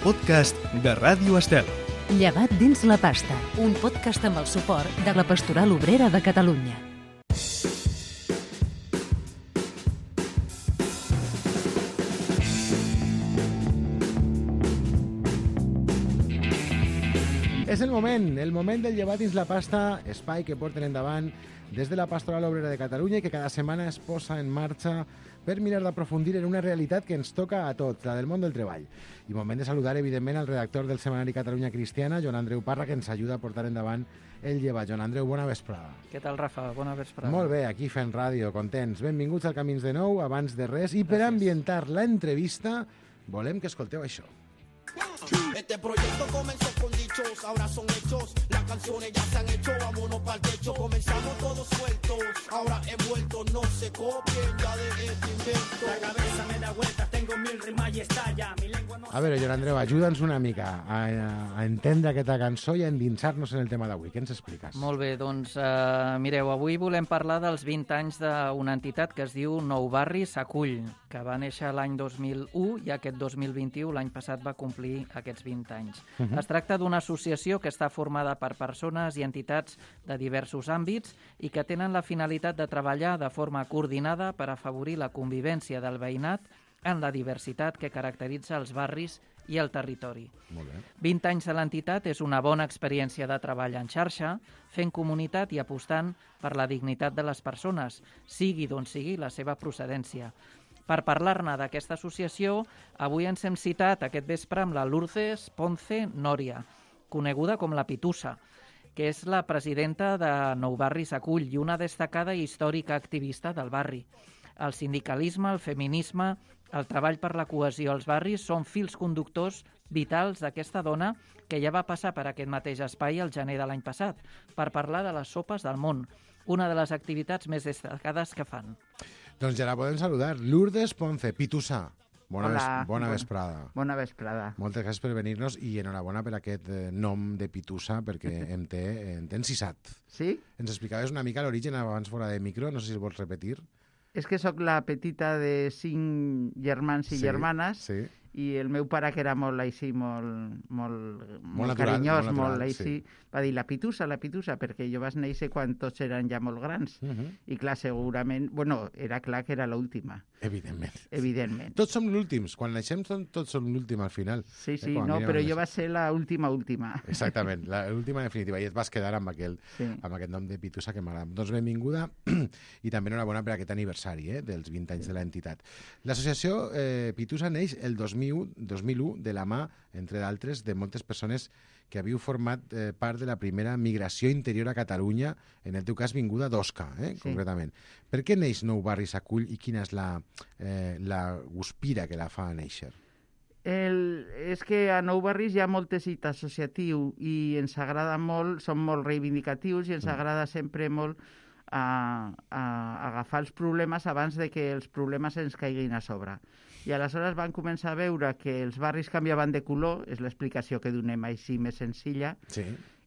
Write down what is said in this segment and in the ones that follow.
podcast de Ràdio Estel. Llevat dins la pasta, un podcast amb el suport de la Pastoral Obrera de Catalunya. És el moment del llevat dins la pasta, espai que porten endavant des de la Pastoral Obrera de Catalunya i que cada setmana es posa en marxa per mirar d'aprofundir en una realitat que ens toca a tots, la del món del treball. I moment de saludar, evidentment, al redactor del setmanari Catalunya Cristiana, Joan Andreu Parra, que ens ajuda a portar endavant el llevat. Joan Andreu, bona vesprada. Què tal, Rafa? Bona vesprada. Molt bé, aquí fent ràdio, contents. Benvinguts al Camins de Nou, abans de res. I per ambientar la entrevista, volem que escolteu això. Este proyecto comenzó con dichos, ahora son hechos. Las canciones ya se han hecho, vámonos pa'l techo. Comenzamos todos sueltos, ahora he vuelto. No se copien ya de este invento. La cabeza me da vueltas, tengo mil rimas y estalla. Mi lengua no... A veure, Joan Andreu, ajuda'ns una mica a entendre aquesta cançó i a endinsar-nos en el tema d'avui. Què ens expliques? Molt bé, doncs mireu, avui volem parlar dels 20 anys d'una entitat que es diu Nou Barri s'Acull, que va néixer l'any 2001 i aquest 2021, l'any passat, va complir aquests 20 anys. Es tracta d'una associació que està formada per persones i entitats de diversos àmbits i que tenen la finalitat de treballar de forma coordinada per afavorir la convivència del veïnat en la diversitat que caracteritza els barris i el territori. Molt bé. 20 anys de l'entitat és una bona experiència de treball en xarxa, fent comunitat i apostant per la dignitat de les persones, sigui d'on sigui la seva procedència. Per parlar-ne d'aquesta associació, avui ens hem citat aquest vespre amb la Lourdes Ponce Nòria, coneguda com la Pitussa, que és la presidenta de Nou Barri s'Acull i una destacada i històrica activista del barri. El sindicalisme, el feminisme, el treball per la cohesió als barris són fils conductors vitals d'aquesta dona que ja va passar per aquest mateix espai el gener de l'any passat per parlar de les sopes del món, una de les activitats més destacades que fan. Doncs ja la podem saludar. Lourdes Ponce, Pitussa. Hola, Bona vesprada. Bona vesprada. Moltes gràcies per venir-nos i enhorabona per aquest nom de Pitussa perquè em té encisat. Sí? Ens explicaves una mica l'origen abans fora de micro, no sé si el vols repetir. És que sóc la petita de 5 germans i germanes sí. I el meu pare, que era molt així, molt natural, carinyós, molt natural, així, sí. va dir la Pitussa, perquè jo vaig néixer quan tots eren ja molt grans. I clar, segurament, era clar que era l'última. Evidentment. Tots som l'últims. Quan naixem tots som l'últim al final. Sí, però jo vaig ser l'última. Exactament, l'última definitiva. I et vas quedar amb aquest nom de Pitussa que m'agrada. Doncs benvinguda i també enhorabona per aquest aniversari dels 20 anys de l'entitat. L'associació Pitussa neix el 2001 de la mà, entre d'altres, de moltes persones que havíeu format part de la primera migració interior a Catalunya, en el teu cas vinguda d'Osca, concretament. Per què neix Nou Barri s'Acull i quina és la guspira que la fa néixer? És que a Nou Barris hi ha molt teixit associatiu i ens agrada molt, som molt reivindicatius i ens agrada sempre molt a agafar els problemes abans de que els problemes ens caiguin a sobre. I aleshores van començar a veure que els barris canviaven de color, és l'explicació que donem així més senzilla,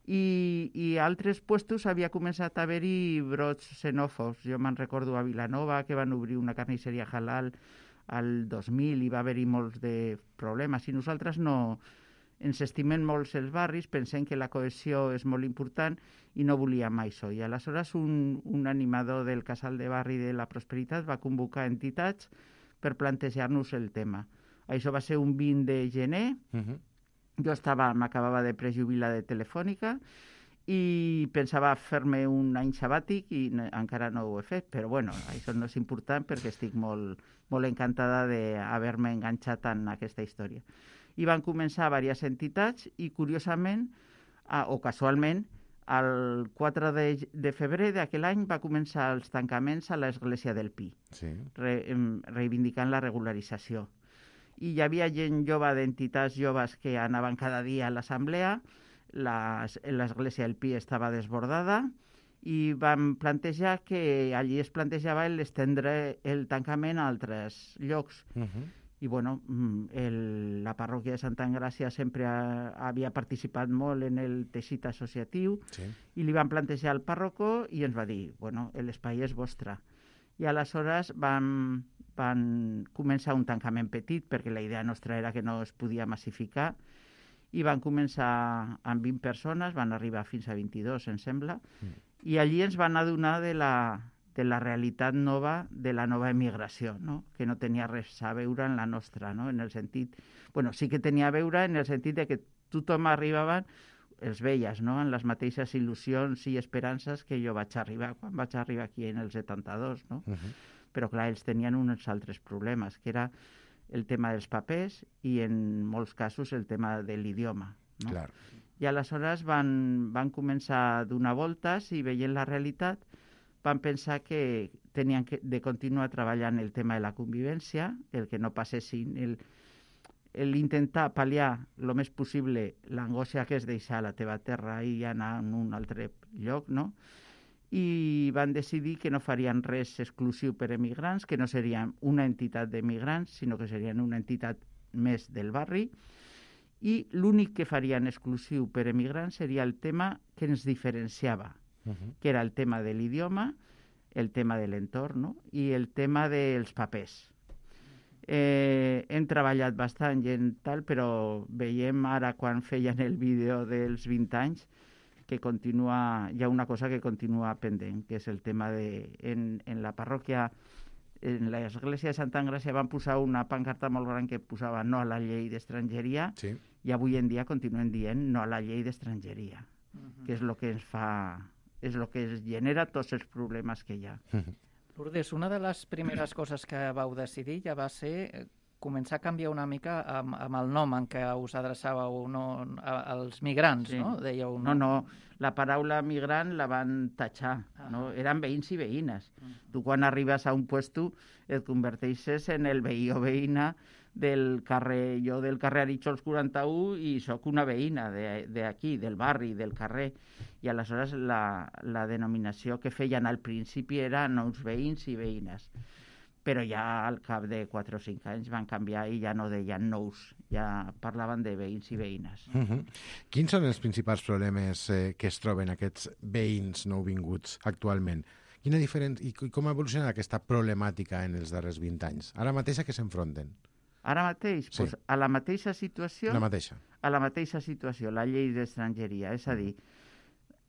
i a altres puestos havia començat a haver-hi brots xenòfobs. Jo me'n recordo a Vilanova, que van obrir una carnisseria halal al 2000 i va haver-hi molts de problemes. I nosaltres no ens estimem molt els barris, pensem que la cohesió és molt important i no volíem això. I aleshores un animador del casal de barri de la Prosperitat va convocar entitats per plantejar-nos el tema. Això va ser un 20 de gener. Jo m'acabava de prejubilar de Telefònica i pensava fer-me un any sabàtic i encara no ho he fet, però això no és important perquè estic molt, molt encantada d'haver-me enganxat en aquesta història. I van començar diverses entitats i, curiosament, o casualment, el 4 de febrer d'aquell any va començar els tancaments a l'església del Pi, reivindicant la regularització. I hi havia gent jove d'entitats joves que anaven cada dia a l'assemblea, l'església del Pi estava desbordada i vam plantejar que allí es plantejava l'estendre el tancament a altres llocs. I la parròquia de Santa Engràcia sempre havia participat molt en el teixit associatiu i li van plantejar al pàrroco i ens va dir, l'espai és vostre. I aleshores van començar un tancament petit, perquè la idea nostra era que no es podia massificar, i van començar amb 20 persones, van arribar fins a 22, em sembla, i allí ens van adonar de la realitat nova, de la nova emigració, no? Que no tenia res a veure en la nostra, no? En el sentit... Bueno, sí que tenia a veure en el sentit de que tothom arribava, els veies, no? En les mateixes il·lusions i esperances que jo vaig arribar, quan vaig arribar aquí en el 72, no? Però clar, ells tenien uns altres problemes, que era el tema dels papers i en molts casos el tema de l'idioma, no? Clar. I aleshores van començar a donar voltes i veient la realitat van pensar que tenien de continuar treballant el tema de la convivència, el que no passessin, l'intentar pal·liar el més possible l'angoixa que és deixar la teva terra i anar a un altre lloc, no? I van decidir que no farien res exclusiu per emigrants, que no serien una entitat d'emigrants, sinó que serien una entitat més del barri, i l'únic que farien exclusiu per emigrants seria el tema que ens diferenciava, que era el tema de l'idioma, el tema de l'entorn, no? I el tema dels papers. Hem treballat bastant i tal, però veiem ara quan feien el vídeo dels 20 anys que hi ha una cosa que continua pendent, que és el tema en la parròquia, en l'església de Santa Engràcia van posar una pancarta molt gran que posava no a la llei d'estrangeria, Sí. i avui en dia continuen dient no a la llei d'estrangeria, que és el que ens fa, és el que es genera tots els problemes que hi ha. Lourdes, una de les primeres coses que vau decidir ja va ser començar a canviar una mica amb el nom en què us adreçàveu als migrants, Sí. no? Dèieu, No, la paraula migrant la van tatxar, no? Eren veïns i veïnes. Tu quan arribes a un puesto et converteixes en el veí o veïna del carrer, jo del carrer Aritxols 41 i sóc una veïna d'aquí, del barri, del carrer. I aleshores la denominació que feien al principi era nous veïns i veïnes. Però ja al cap de 4 o 5 anys van canviar i ja no deien nous, ja parlaven de veïns i veïnes. Quins són els principals problemes que es troben aquests veïns nouvinguts actualment? Quina diferència i com ha evolucionat aquesta problemàtica en els darrers 20 anys? Ara mateix a què s'enfronten? Ara mateix, Sí. doncs, a la mateixa situació... La mateixa. A la mateixa situació, la llei d'estrangeria. És a dir,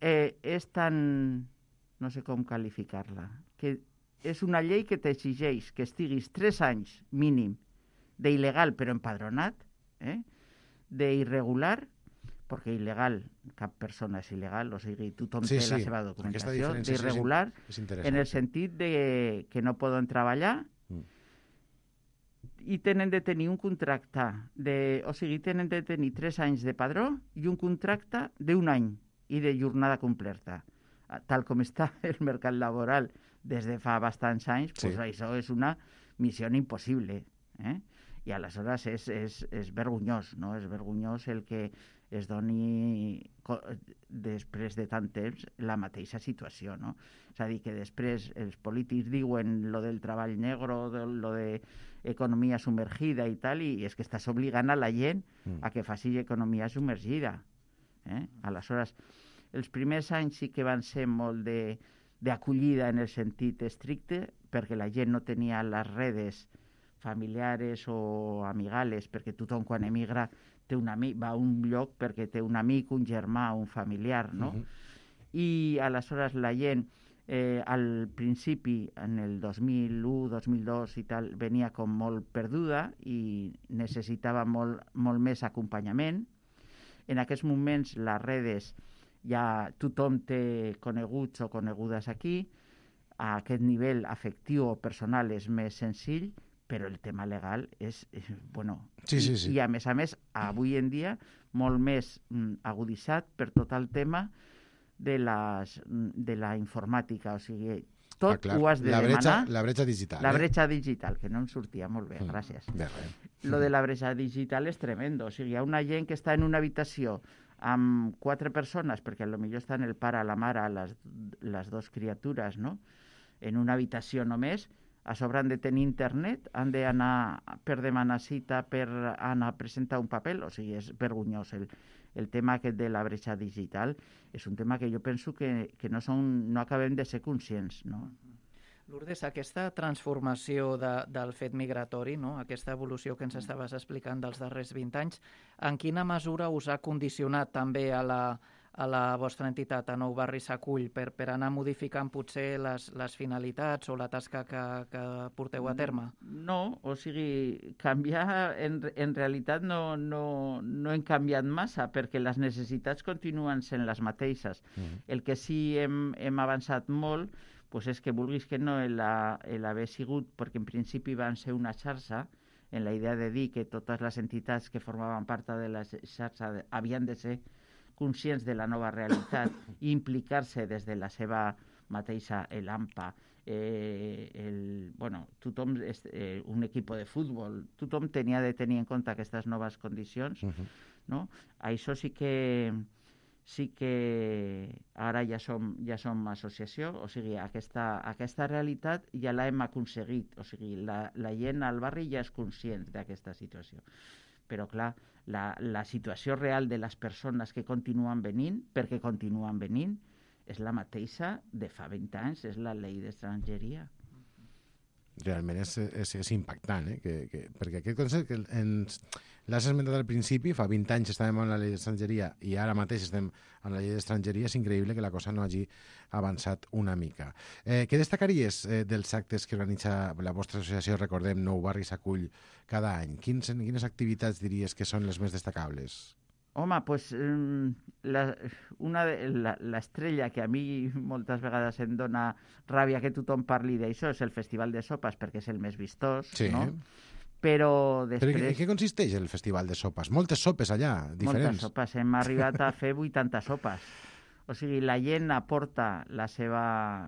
és tan... no sé com qualificar-la, que és una llei que t'exigeix que estiguis 3 anys mínim d'il·legal però empadronat, d'irregular, perquè il·legal, cap persona és il·legal, o sigui, tothom té la seva documentació, d'irregular, en el sentit de que no poden treballar i tenen de tenir un contracte, o sigui, tenen de tenir 3 anys de padró i un contracte d'1 any i de jornada completa. Tal com està el mercat laboral des de fa bastants anys, pues això és una missió impossible. I aleshores és vergonyós, no? És vergonyós el que es doni després de tant temps la mateixa situació, no? És a dir, que després els polítics diuen lo del treball negre, lo de economia submergida i tal, i és que estàs obligant a la gent a que faci economia submergida. Aleshores, els primers anys sí que van ser molt d'acollida en el sentit estricte, perquè la gent no tenia les redes familiares o amigales, perquè tothom quan emigra té un amic, va a un lloc perquè té un amic, un germà, un familiar, no? I aleshores la gent al principi, en el 2001, 2002 i tal, venia com molt perduda i necessitava molt més acompanyament. En aquests moments les redes ja tothom té coneguts o conegudes aquí, a aquest nivell afectiu o personal és més senzill, però el tema legal és, bueno... Sí. I a més, avui en dia, molt més aguditzat per tot el tema de la informàtica, o sigui, tot ho has de demanar. La bretxa digital. La bretxa digital, que no em sortia molt bé, gràcies. Lo de la bretxa digital és tremendo, o sigui, hi ha una gent que està en una habitació amb 4 persones, perquè potser estan el pare, la mare, les 2 criatures, no? En una habitació només, a sobre han de tenir internet, han d'anar per demanar cita, per anar a presentar un paper, o sigui, és vergonyós. El tema aquest de la bretxa digital és un tema que jo penso que no acabem de ser conscients, no? Lourdes, aquesta transformació del fet migratori, no? Aquesta evolució que ens estaves explicant dels darrers 20 anys, en quina mesura us ha condicionat també a la vostra entitat, a Nou Barris Acull, per anar modificant potser les finalitats o la tasca que porteu a terme? No, o sigui, canviar en realitat no hem canviat massa perquè les necessitats continuen sent les mateixes. El que sí hem avançat molt pues és que vulguis que no l'haver sigut, perquè en principi van ser una xarxa, en la idea de dir que totes les entitats que formaven part de la xarxa havien de ser conscients de la nova realitat i implicar-se des de la seva mateixa, l'AMPA, tothom, un equip de futbol, tothom tenia de tenir en compte aquestes noves condicions, no? Això sí que ara ja som associació, o sigui, aquesta realitat ja l'hem aconseguit, o sigui, la gent al barri ja és conscient d'aquesta situació. Però, clar, la situació real de les persones que continuen venint, perquè continuen venint, és la mateixa de fa 20 anys, és la llei d'estrangeria. Realment és impactant, perquè aquest concepte que l'has esmentat al principi, fa 20 anys estàvem amb la llei d'estrangeria i ara mateix estem amb la llei d'estrangeria, és increïble que la cosa no hagi avançat una mica. Què destacaries dels actes que organitza la vostra associació, recordem, Nou Barris Acull, cada any? Quines activitats diries que són les més destacables? Home, doncs l'estrella que a mi moltes vegades em dona ràbia que tothom parli d'això és el Festival de Sopes, perquè és el més vistós, sí, no? Però després... Però en què consisteix el Festival de Sopes? Moltes sopes allà, diferents. Moltes sopes, hem arribat a fer 80 sopes. O sigui, la gent aporta la seva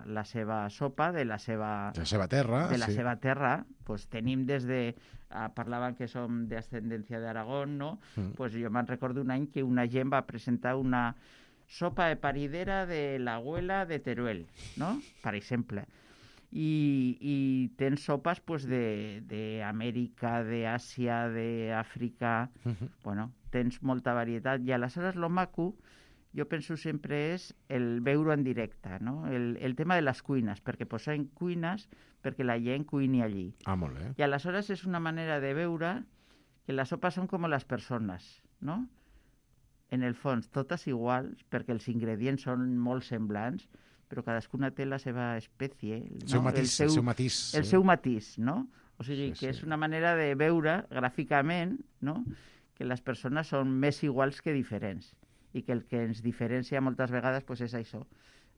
sopa de la seva terra. De la seva terra. Pues tenim des de... Parlaven que som d'ascendència d'Aragón, no? Pues jo me'n recordo un any que una gent va presentar una sopa de paridera de l'abuela de Teruel, no? Per exemple. I tens sopes pues, d'Amèrica, d'Àsia, d'Àfrica... Bueno, tens molta varietat. I aleshores lo maco, jo penso sempre és el veure en directe, no? El tema de les cuines, perquè posem cuines perquè la gent cuini allí. Ah, molt bé. I aleshores és una manera de veure que les sopes són com les persones, no? En el fons, totes iguals, perquè els ingredients són molt semblants, però cadascuna té la seva espècie, no? El seu matís. El seu matís, no? O sigui, que és una manera de veure gràficament, no?, que les persones són més iguals que diferents i que el que ens diferencia moltes vegades pues, és això,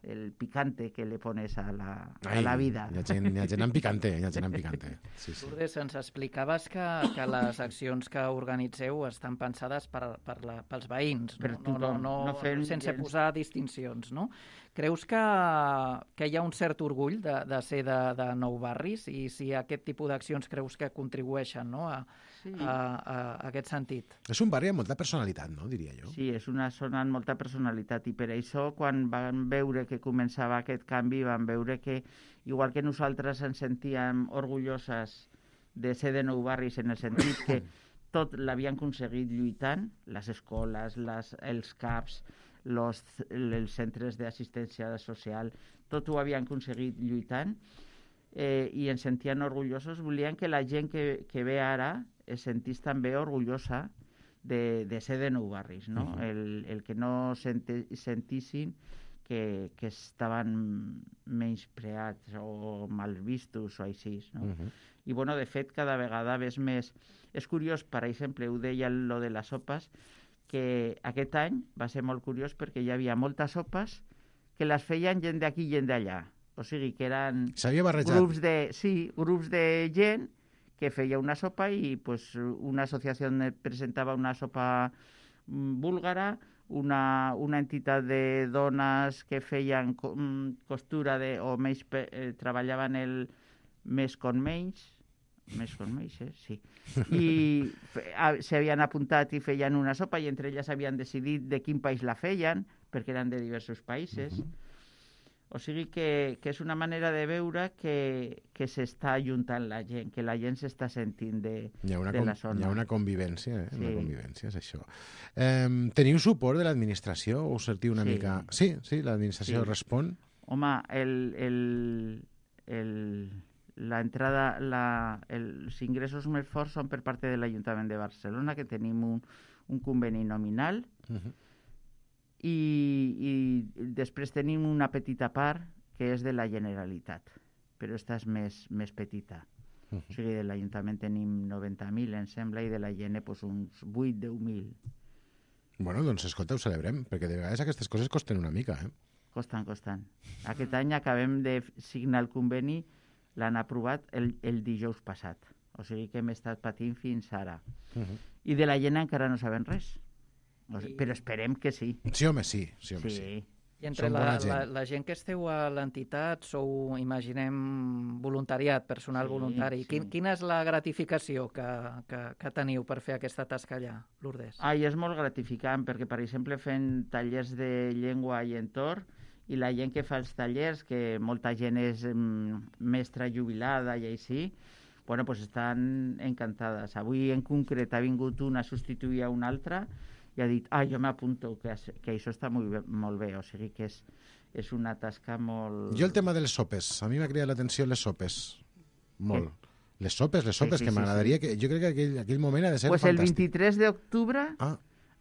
el picante que le pones a la vida. Hi ha gent amb picante, Sí. Lourdes, ens explicaves que les accions que organitzeu estan pensades pels veïns, sense posar distincions, no? Creus que hi ha un cert orgull de ser de Nou Barris i si aquest tipus d'accions creus que contribueixen, no, a aquest sentit? És un barri amb molta personalitat, no, diria jo. Sí, és una zona amb molta personalitat i per això quan van veure que començava aquest canvi van veure que igual que nosaltres ens sentíem orgulloses de ser de Nou Barris en el sentit que tot l'havien aconseguit lluitant, les escoles, els CAPs, els centres d'assistència social, tot ho havien aconseguit lluitant i ens sentien orgullosos. Volien que la gent que ve ara es sentís també orgullosa de ser de Nou Barris, no? El que no sentissin que estaven menyspreats o mal vistos o així, no? I, bueno, de fet, cada vegada ves més... És curiós, per exemple, ho deia lo de les sopes, que aquest any va ser molt curiós perquè hi havia moltes sopes que les feien gent d'aquí i gent d'allà. O sigui, que eren grups de gent que feia una sopa i pues, una associació presentava una sopa búlgara, una entitat de dones que feien costura o treballaven el més con menys, sí. I s'havien apuntat i feien una sopa i entre elles havien decidit de quin país la feien, perquè eren de diversos països. O sigui que és una manera de veure que s'està ajuntant la gent, que la gent s'està sentint de la zona. Hi ha una convivència, una convivència, és això. Teniu suport de l'administració? Us sentiu una mica... Sí, l'administració respon? Home, els ingressos més forts són per part de l'Ajuntament de Barcelona, que tenim un conveni nominal, i després tenim una petita part que és de la Generalitat, però aquesta és més petita. O sigui, de l'Ajuntament tenim 90.000, em sembla, i de la Gene uns 8-10.000. Bueno, doncs escolta, ho celebrem, perquè de vegades aquestes coses costen una mica, Costen. Aquest any acabem de signar el conveni, l'han aprovat el dijous passat. O sigui que hem estat patint fins ara. I de la Gene encara no sabem res. Però esperem que sí. Sí, home, sí. I entre la gent que esteu a l'entitat sou, imaginem, voluntariat, personal voluntari. Sí. Quina és la gratificació que teniu per fer aquesta tasca allà, Lourdes? És molt gratificant, perquè, per exemple, fent tallers de llengua i entorn, i la gent que fa els tallers, que molta gent és mestra jubilada i així, pues estan encantades. Avui, en concret, ha vingut una a substituir a una altra i ha dit, jo m'apunto, que això està molt bé, o sigui que és una tasca molt... Jo el tema de les sopes, a mi m'ha cridat l'atenció les sopes, molt. Les sopes, que m'agradaria que... Jo crec que aquell moment ha de ser fantàstic. El 23 d'octubre,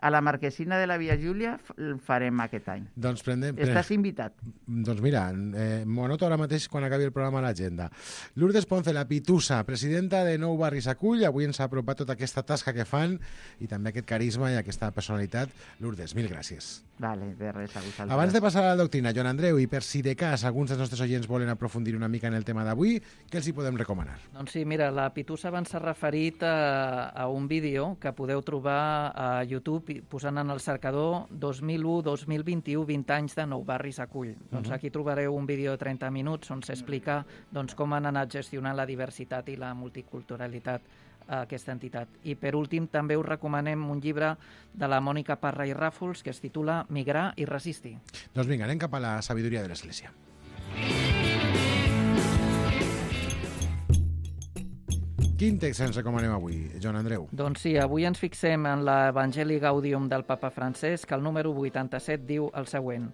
a la Marquesina de la Via Júlia, el farem aquest any. Doncs Estàs invitat. Doncs mira, m'ho anoto ara mateix quan acabi el programa a l'agenda. Lourdes Ponce, la Pitusa, presidenta de Nou Barris Acull, avui ens ha apropat tota aquesta tasca que fan i també aquest carisma i aquesta personalitat. Lourdes, mil gràcies. Vale, de res, a vosaltres. Abans de passar a la doctrina, Joan Andreu, i per si de cas alguns dels nostres oients volen aprofundir una mica en el tema d'avui, què els hi podem recomanar? Doncs sí, mira, la Pitusa abans s'ha referit a un vídeo que podeu trobar a YouTube posant en el cercador 2001-2021, 20 anys de Nou Barris Acull. Doncs aquí trobareu un vídeo de 30 minuts on s'explica com han anat gestionant la diversitat i la multiculturalitat a aquesta entitat. I per últim també us recomanem un llibre de la Mònica Parra i Ràfols que es titula Migrar i resistir. Doncs vinga, anem cap a la sabidoria de l'Església. Quin text ens recomanem avui, Joan Andreu? Doncs sí, avui ens fixem en l'Evangeli Gaudium del papa Francesc, que el número 87 diu el següent.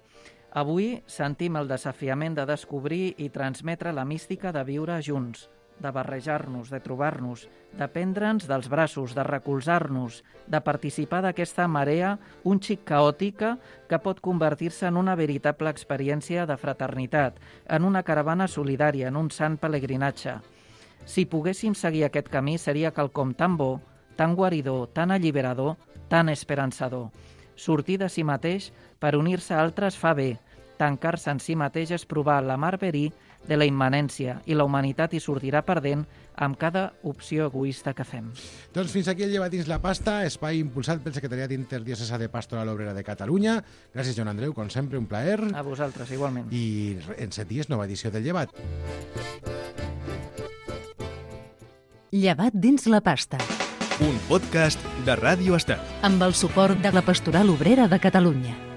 Avui sentim el desafiament de descobrir i transmetre la mística de viure junts, de barrejar-nos, de trobar-nos, de prendre'ns dels braços, de recolzar-nos, de participar d'aquesta marea un xic caòtica que pot convertir-se en una veritable experiència de fraternitat, en una caravana solidària, en un sant pelegrinatge. Si poguéssim seguir aquest camí seria quelcom tan bo, tan guaridor, tan alliberador, tan esperançador. Sortir de si mateix per unir-se a altres fa bé. Tancar-se en si mateix és provar la mar verí de la immanència i la humanitat hi sortirà perdent amb cada opció egoista que fem. Doncs fins aquí el Llevat dins la pasta, espai impulsat pel Secretariat Interdiocesà de Pastoral Obrera de Catalunya. Gràcies, Joan Andreu, com sempre, un plaer. A vosaltres, igualment. I en 7 dies, nova edició del Llevat. Llevat dins la pasta. Un podcast de Ràdio Estel. Amb el suport de la Pastoral Obrera de Catalunya.